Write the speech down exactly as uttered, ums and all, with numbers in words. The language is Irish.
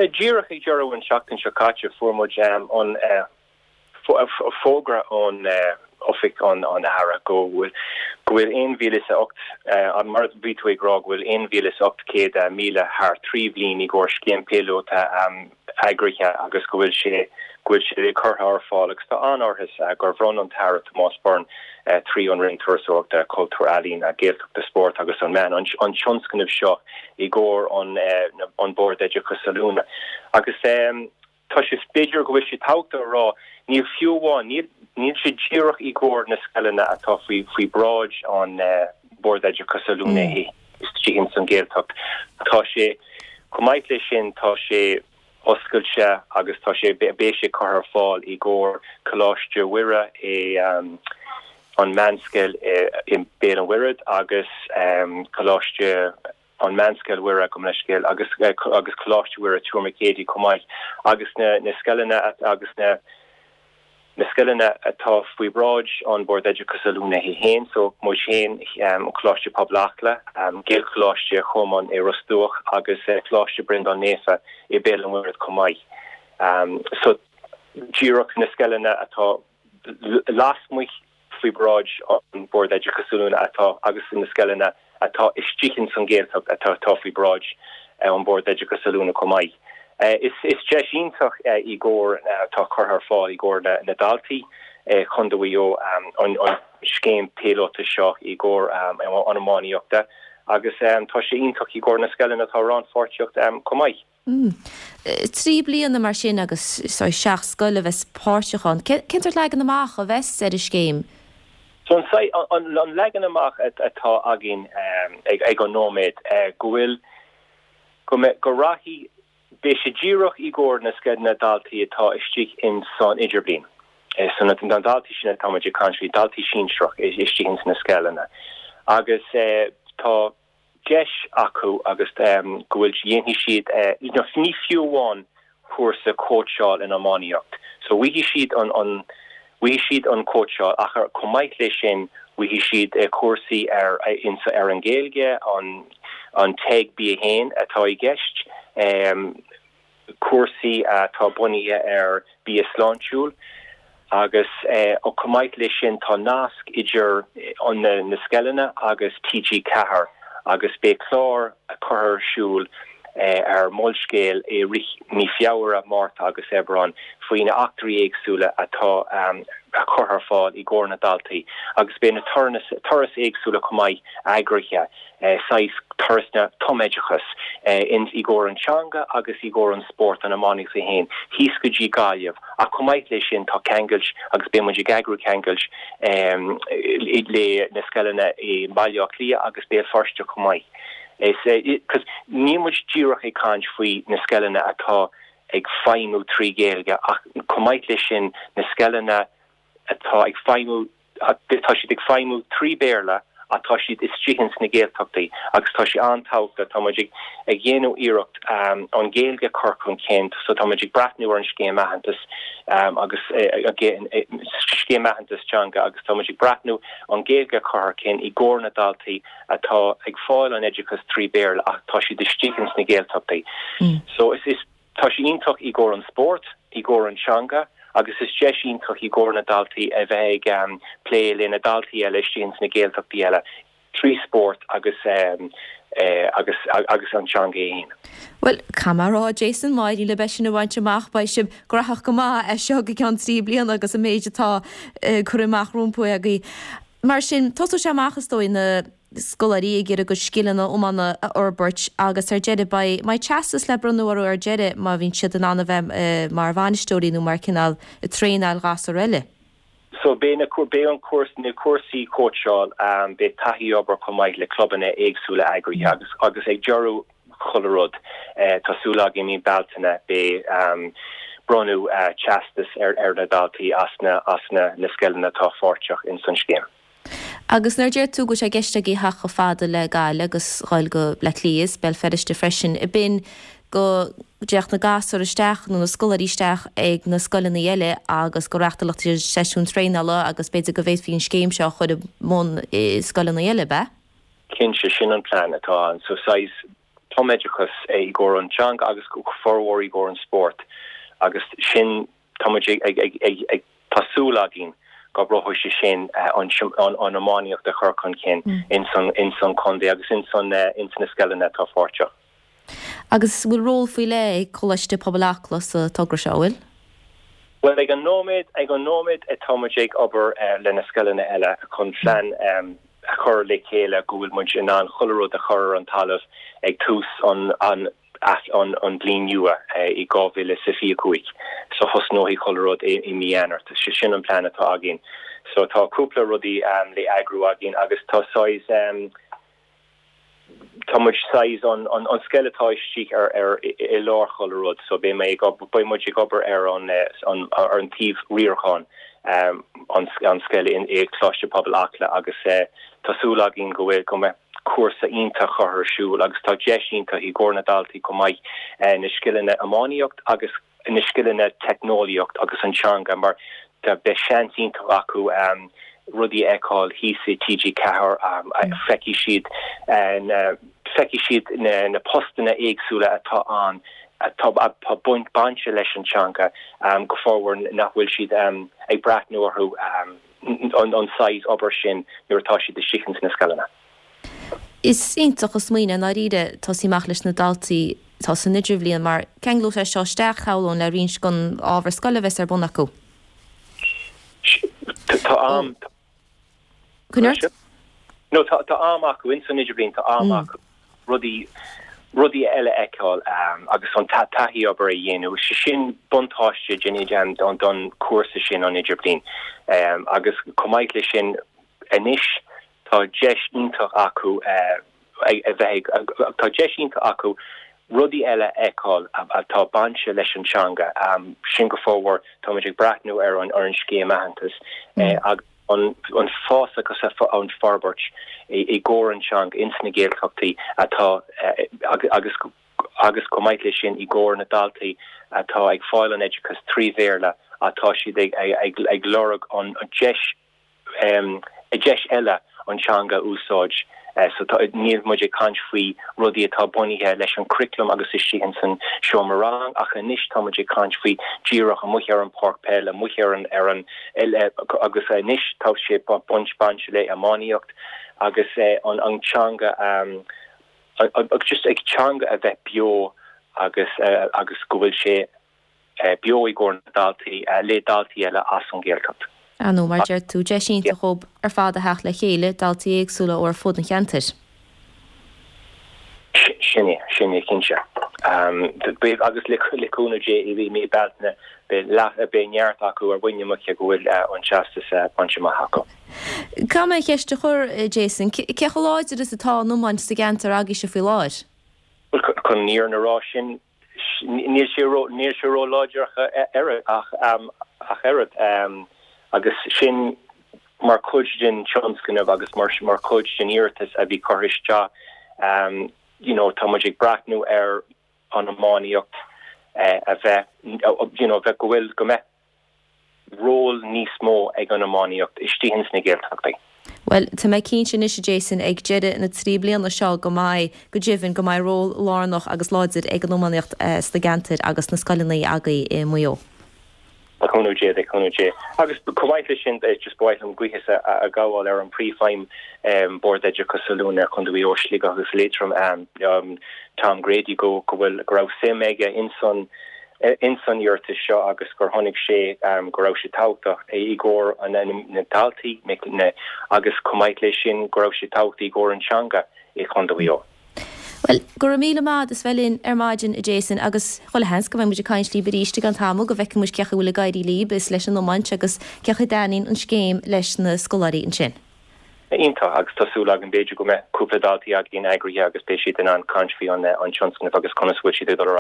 Díreach ag deireadh an seachtain seo caite fuair muid an fógra ón oifig an an Aire go bhfuil go bhfuil aon mhíle is a ocht mar bhí tú ag rá go bhfuil aon mhíle is ocht céad míle thar trí bhliain i gcomhair scéim píolóta eagraithe agus go bhfuil sé go bhfuil sé curtha ar fáil agus tá an-áthas gur bhronn an tAire Tomás Byrne trí an Roinn Turasóireachta Cultúr Ealaíon Gaeltachta Spórt agus an Meán an tionscnamh seo i gcomhair an an Bord Oideachais Oiliúna agus tá sé b'fhéidir go bhfuil sé tábhachtach a rá níl fiú amháin níl níl sé díreach i gcomhair na scoileanna atá faoi faoi bhráid an Bord Oideachais Oiliúna istigh ins an Ghaeltacht tá sé chomh maith leis sin tá sé oscailte agus tá sé beidh sé curtha ar fáil i gcomhair Coláiste Mhuire i um, an meánscoil i Béal an Mhuirthead agus um, Coláiste an Meánscoil Mhuire gabh mo leithscéal agus agus Coláiste Mhuire Tuaim Mhic Éadaigh chomh maith agus na na scoileanna agus na na scoileanna atá faoi bhráid an Bord Oideachais Oiliúna féin so muid féin um, Coláiste Pobail Acla, um, Gaelcholáiste Chomáin i Ros Dumhach agus uh, Coláiste Breandán Naofa i Béal an Mhuirthead chomh maith. Um, so díreach na scoileanna atá lasmuigh faoi bhráid an Bord Oideachais Oiliúna atá agus na scoileanna atá istigh san Ghaeltacht atá atá faoi bhráid uh, an Bord Oideachais Oiliúna chomh maith. Uh, is is deis iontach uh, i gcomhair atá curtha ar fáil i gcomhair na, na daltaí uh, chun um, an, an scéim píolóta seo i gcomhair um, an iománaíochta agus um, tá sé iontach i gcomhair na scoileanna atá rannpháirteach um, chomh maith. Mm. Trí bliana mar sin agus so seacht scoil a bheas páirteach ann. Cén sórt leagan amach a bheas ar an scéim? So an, an, an leagan amach atá againn um, ag, ag an nóiméad uh, go bhfuil go, go rachaidh beidh sé díreach i gcomhair na scoileanna daltaí atá istigh in san idirbhliain. Eh, so na na daltaí sin atá ag caint faoi daltaí sinsearach istigh in sna scoileanna. Agus eh, tá deis acu agus um, go bhfuil dhéanfaidh siad uh, ní fiú amháin cúrsa cóitseáil in iománaíocht. So bhfaighidh siad an an bhfaighidh siad an cóitseáil ach chomh maith leis sin bhfaighidh siad uh, cúrsaí ar in ar an Ghaeilge an an TEG B haon atá i gceist um, cúrsaí atá bunaithe ar bia sláintiúil agus eh, ó chomh maith leis sin tá nasc idir an na, na scoileanna agus TG Ceathair agus beidh clár a chur ar siúl eh, ar Molscéal i rith mí Feabhra Márta agus Aibreán faoi na eachtraí éagsúla atá um, a chur ar fáil i gcomhair na daltaí agus beidh na turais éagsúla chomh maith eagraithe eh, saghas turas na tumoideachas eh, in i gcomhair an teanga agus i gcomhair an sport an iománaíocht féin thíos go dtí Gaillimh a chomh maith leis sin tá ceangal agus beidh muid ag eagrú ceangal um, le na scoileanna i Baile Átha Cliath agus Béal Feirste chomh maith. Is cos ní muid díreach ag caint faoi na scoileanna atá ag feidhmiú trí Ghaeilge ach chomh maith leis sin na scoileanna atá ag feidhmiú tá siad ag feidhmiú trí Béarla atá siad istigh sna Gaeltachtaí agus tá sé an-tábhachtach tá muid ag ag déanamh iarracht um, an Ghaeilge chur chun cinn so tá muid ag breathnú ar an scéim aitheantas um, agus uh, scéim aitheantas teanga agus tá muid ag breathnú an Ghaeilge chur chun i gcomhair na daltaí atá ag fáil an oideachas trí Béarla ach tá siad istigh sna Gaeltachtaí. Mm. So is is tá sé iontach i gcomhair an sport, i gcomhair an teanga, agus is deis iontach i gcomhair na daltaí a bheith ag um, plé le na daltaí eile istigh sna Gaeltachtaí eile trí sport agus um, eh, agus agus an teanga féin. Well camará Jason Máirí le beis sin a bhaint amach beidh sibh gnóthach go maith é seo go ceann trí bliana agus an méid atá uh, chur amach rompu agaibh. Mar sin tosóidh sé amach is dóigh na scoláirí ag iarraidh a gcuid scileanna iomána a fhorbairt agus ar deireadh beidh beidh teastas le bronnadh orthu ar deireadh má bhíonn siad in ann a bheith uh, mar bhainisteoirí nó mar cineál traenáil gasúir eile. So beidh na beidh an cúrsa na cúrsaí cóitseáil um, beidh taithí obair chomh maith le clubanna éagsúla eagraithe agus agus ag deireadh chuile rud uh, tá súil againn i mí Bealtaine beidh um, bronnadh uh, teastas ar ar na daltaí as na as na na scoileanna atá páirteach in san scéim. Agus nuair a deir tú go sé gceist ag theacht chomh fada le Gaillimh agus dul go Bleá Cliath Béal Feirste freisin i bin go dtéadh na gasúir isteach nó na scoláirí isteach ag na scoileanna eile agus go reáchtálfaí seisiún traenála agus b'fhéidir go bhféadfaí an scéim seo chur i mbun i scoileanna eile be? Cinnte sin an plean atá ann so sais tumoideachas i gcomhair an teanga agus go formhór i gcomhair an spórt agus sin tá muid ag ag ag ag tá súil againn go gcabhróidh sé sin an an iománaíocht a chur chun cinn in san in san contae agus in san in sna scoileanna atá páirteach. Agus bhfuil ról faoi leith ag Coláiste Pobail Acla sa togra seo bhfuil? Well ag an nóiméad ag an nóiméad atá muid ag obair uh, le na scoileanna eile chun plean um, a chur le chéile go bhfuil muid in ann chuile rud a chur ar an talamh ag tús an an an an bliain nua i dhá mhíle is fiche cúig so thosnóidh chuile rud i, i mí Eanáir sé sin an plean atá againn so tá cúpla rudaí um, le eagrú againn agus tá saghas um, tá muid saghas an an an scoil atá istigh ar ar i lár chuile rud so beidh mé beidh muid ag obair ar an an ar an taobh riaracháin um, an an scoil in i Coláiste Pobail Acla agus uh, tá súil againn go bhfuil go mbeidh cúrsa iontach curtha ar siúl agus tá deis iontach i gcomhair na daltaí chomh maith uh, na scileanna iománaíocht agus na scileanna teicneolaíocht agus an teanga mar tá beidh seans iontach acu um, rudaí a fheiceáil thíos i TG Ceathair um, feicfidh siad uh, feicfidh siad na, na postanna éagsúla atá an atá atá baint bainte leis an teanga um, go formhór nach bhfuil siad um, ag breathnú orthu um, an, an saghas obair sin nuair atá siad istigh sna scoileanna. Is iontach an smaoineamh dáiríre tosú amach leis na daltaí atá san idirbhliain mar ceanglóidh sé seo isteach shamhlóinn le roinnt den ábhar scoile a bheas ar bun acu. Tá am Cunart? No tá tá am acu in san idirbhliain tá am acu rudaí rudaí eile a fheiceáil um, agus an taithí obair a dhéanamh sé sin buntáiste den don don cúrsa sin an idirbhliain um, agus chomh maith le sin anois tá deis iontach acu uh, a bheith tá deis iontach acu rudaí eile a fheiceáil atá bainte leis an teanga um, sin go formhór tá ag breathnú ar an ar an scéim aitheantais mm. uh, agus an an fás agus an forbairt i, i gcomhair an teanga ins na Gaeltachtaí atá uh, agus agus chomh maith le sin i gcomhair na daltaí atá ag fáil an oideachas trí Bhéarla atá siad ag, ag, ag, ag lorg an, an deis um, a deis eile an teanga úsáid uh, so tá níl muid ag caint faoi rudaí atá bunaithe leis an curriculum agus istigh san seomra rang ach anois tá muid ag caint faoi díreach amuigh ar an páirc peile amuigh ar an ar an agus anois tá sé baint bainte le iománaíocht agus uh, an an teanga um, agus just ag teanga a bheith beo agus uh, agus go bhfuil sé uh, beo i gcomhair na daltaí uh, le daltaí eile as an Ghaeltacht. Á nó mar deir tú deis iontach dóibh ar fad a theacht le chéile daltaí éagsúla ó ar fud an cheantair. Sin é sin é cinnte. Um, agus le le cúnamh Dé i mí Bealtaine beidh neart acu ar bhain amach go bhfuil uh, an teastas uh, bainte amach acu. Caithfidh mé ceist a chur Jason, cé chomh láidir is atá an iomáint sa gceantar agaibhse faoi láthair? Chun an fhírinne a rá sin níl sé níl sé ró-láidir ar ach um, ach oiread um, agus sin mar chuid den tionscnamh agus mar mar chuid den iarratas a bhí curtha isteach um, you know, tá muid ag breathnú ar an iománaíocht uh, a bheith you know, bheith go bhfuil go mbeidh ról níos mó ag an iománaíocht istigh sna Gaeltachtaí. Well tá mé cinnte anois Jason ag deireadh na trí bliana seo go mbeidh go deimhin go mbeidh ról lárnach agus láidir ag an iománaíocht uh, sna ceantair agus na scoileanna agaibh i Maigh Eo. Cúnamh Dé de cúnamh Dé. Agus chomh maith le sin just ba mhaith liom buíochas a ghabháil ar an príomhfheidhm um, Bord Oideachais Oiliúna Chontae Mhaigh Eo Sligeach agus Liatroim um, um, Tom Grady go go bhfuil go raibh suim aige in san in san iarratas seo agus gur chonaic sé um, go raibh sé tábhachtach i gcomhair an na daltaí agus chomh maith le sin go raibh sé tábhachtach i gcomhair an teanga i Chontae Mhaigh Eo. Well, go raibh míle maith as bheith linn ar maidin a Jason agus chuile sheans go mbeidh muid ag caint libh arís i gceann tamaill go bhfeicfidh muid cén chaoi a bhfuil ag éirí libh is leis an iomáint agus cén chaoi a dtaitníonn an scéim leis na scoláirí ansin. Iontach agus tá súil agam b'fhéidir go mbeidh cúpla daltaí againn eagraithe agus beidh siad in ann caint faoi an an tionscnamh agus conas bhfuil siad ag dul